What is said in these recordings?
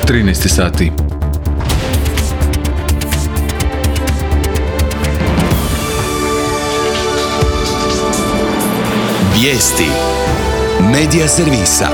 13 sati. Vijesti Medija servisa.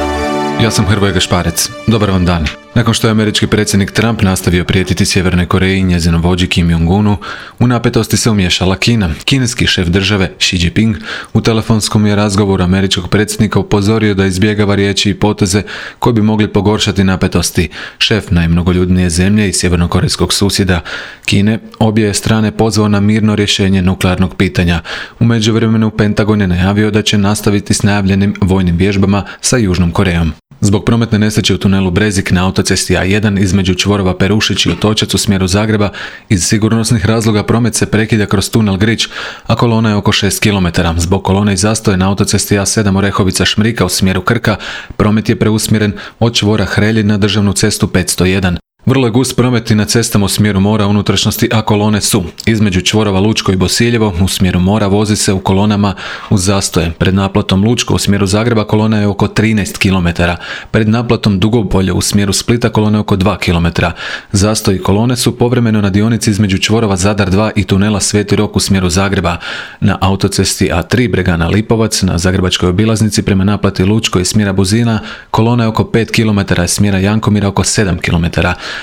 Ja sam Hrvoje Gašparec. Dobar vam dan. Nakon što je američki predsjednik Trump nastavio prijetiti Sjevernoj Koreji i njezinom vođi Kim Jong-unu, u napetosti se umiješala Kina. Kineski šef države Xi Jinping u telefonskom je razgovoru američkog predsjednika upozorio da izbjegava riječi i poteze koji bi mogli pogoršati napetosti. Šef najmnogoljudnije zemlje i sjevernokorejskog susjeda Kine obje je strane pozvao na mirno rješenje nuklearnog pitanja. U međuvremenu Pentagon je najavio da će nastaviti s najavljenim vojnim vježbama sa Južnom Korejom. Zbog prometne nesreće u tunelu Brezik na autocesti A1 između čvorova Perušić i Otočac u smjeru Zagreba, iz sigurnosnih razloga promet se prekida kroz tunel Grič, a kolona je oko 6 km. Zbog kolone i zastoja na autocesti A7 Orehovica-Šmrika u smjeru Krka, promet je preusmjeren od čvora Hrelji na državnu cestu 501. Vrlo je gust promet i na cestama u smjeru mora unutrašnjosti, a kolone su između čvorova Lučko i Bosiljevo u smjeru mora vozi se u kolonama uz zastoje. Pred naplatom Lučko u smjeru Zagreba kolona je oko 13 km. Pred naplatom Dugopolje u smjeru Splita kolona je oko 2 km. Zastoj kolone su povremeno na dionici između čvorova Zadar 2 i tunela Sveti Rok u smjeru Zagreba. Na autocesti A3 Bregana Lipovac na zagrebačkoj obilaznici prema naplati Lučko i smjera Buzina kolona je oko 5 km, a smjera Jankomira oko 7 km.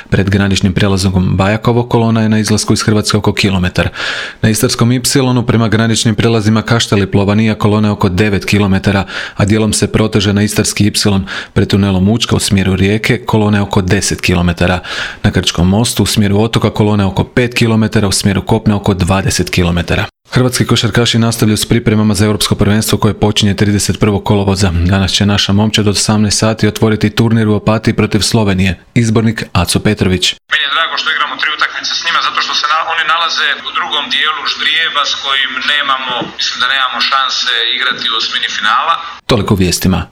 Pred graničnim prijelazom Bajakovo kolona je na izlasku iz Hrvatske oko kilometar. Na Istarskom Ipsilonu prema graničnim prijelazima Kašteli Plovanija kolona je oko 9 km, a dijelom se proteže na Istarski Ipsilon pred tunelom Učka u smjeru Rijeke kolona je oko 10 km. Na Krčkom mostu u smjeru otoka kolona je oko 5 km, u smjeru kopna oko 20 km. Hrvatski košarkaši nastavljaju s pripremama za europsko prvenstvo koje počinje 31. kolovoza. Danas će naša momčad od 18 sati otvoriti turnir u Opatiji protiv Slovenije. Izbornik Aco Petrović. Meni je drago što igramo 3 utakmice s njima zato što se oni nalaze u drugom dijelu ždrijeba s kojim nemamo šanse igrati u osmini finala. Toliko vijestima.